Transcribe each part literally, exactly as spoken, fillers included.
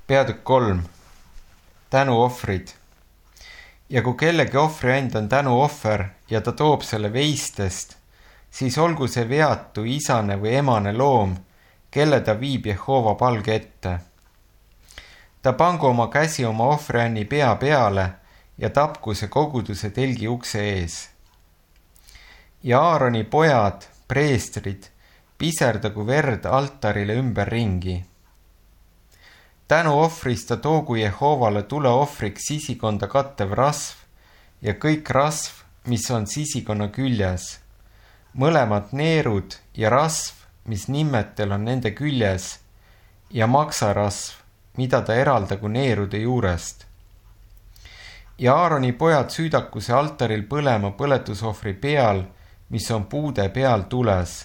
Peatükk kolm. Tänuohvrid. Ja kui kellegi ohvriand on tänuohver ja ta toob selle veistest, siis olgu see veatu isane või emane loom, kelle ta viib Jehova palge ette. Ta pangu oma käsi oma ohvrianni pea peale ja tapku see koguduse telgi ukse ees. Ja Aaroni pojad, preestrid, piserdagu verd altarile ümber ringi. Tänuohvrist ta toogu Jehovale tuleohvriks sisikonda kattev rasv ja kõik rasv, mis on sisikonna küljes, mõlemad neerud ja rasv, mis nimmetel on nende küljes, ja maksarasv, mida ta eraldagu neerude juurest. Ja Aaroni pojad süüdaku see altaril põlema põletusohvri peal, mis on puude peal tules,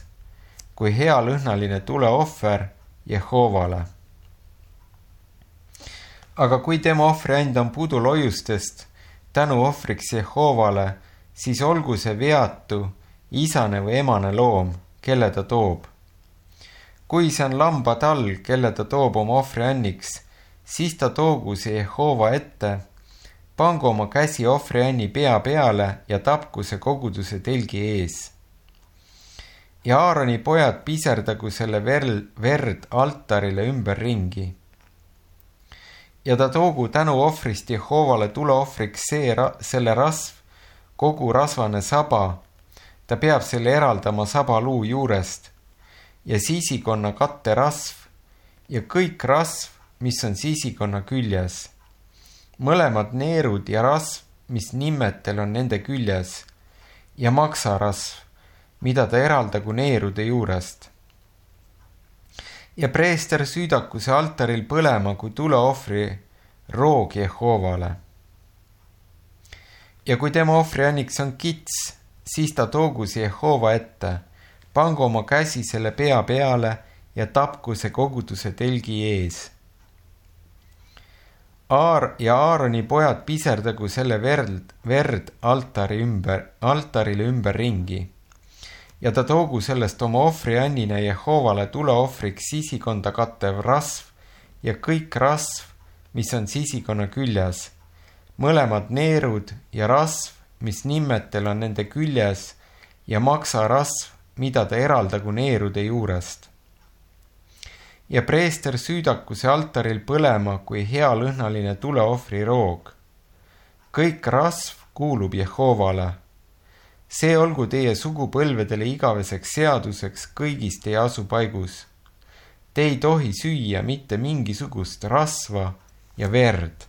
kui hea lõhnaline tuleohver Jehovale. Aga kui tema ohvriand on puduloiustest tänuohvriks Jehovale, siis olgu see veatu, isane või emane loom, kelle ta toob. Kui see on lambatall, kelle ta toob oma ohvrianniks, siis ta toogu see Jehova ette, pangu oma käsi ohvrianni pea peale ja tapku see koguduse telgi ees. Ja Aaroni pojad piserdagu selle verd, verd altarile ümber ringi. Ja ta toogu tänuohvrist Jehovale tuleohvriks see, selle rasv, kogu rasvane saba, ta peab selle eraldama sabaluu juurest, ja sisikonna katte rasv, ja kõik rasv, mis on sisikonna küljes, mõlemad neerud ja rasv, mis nimmetel on nende küljes, ja maksarasv, mida ta eraldagu neerude juurest. Ja preester süüdaku see altaril põlema kui tuleohvri roog Jehovale. Ja kui tema ohvrianniks on kits, siis ta toogu see Jehova ette, pangu oma käsi selle pea peale ja tapku see koguduse telgi ees. Aar ja Aaroni pojad piserdagu selle verd, verd altari ümber, altarile ümber ringi. Ja ta toogu sellest oma ohvriannina Jehovale tuleohvriks sisikonda kattev rasv ja kõik rasv, mis on sisikonna küljes, mõlemad neerud ja rasv, mis nimmetel on nende küljes, ja maksarasv, mida ta eraldagu neerude juurest. Ja preester süüdaku see altaril põlema kui hea lõhnaline tuleohvri roog. Kõik rasv kuulub Jehovale. See olgu teie sugupõlvedele igaveseks seaduseks kõigis teie asupaigus. Te ei tohi süüa mitte mingisugust rasva ja verd.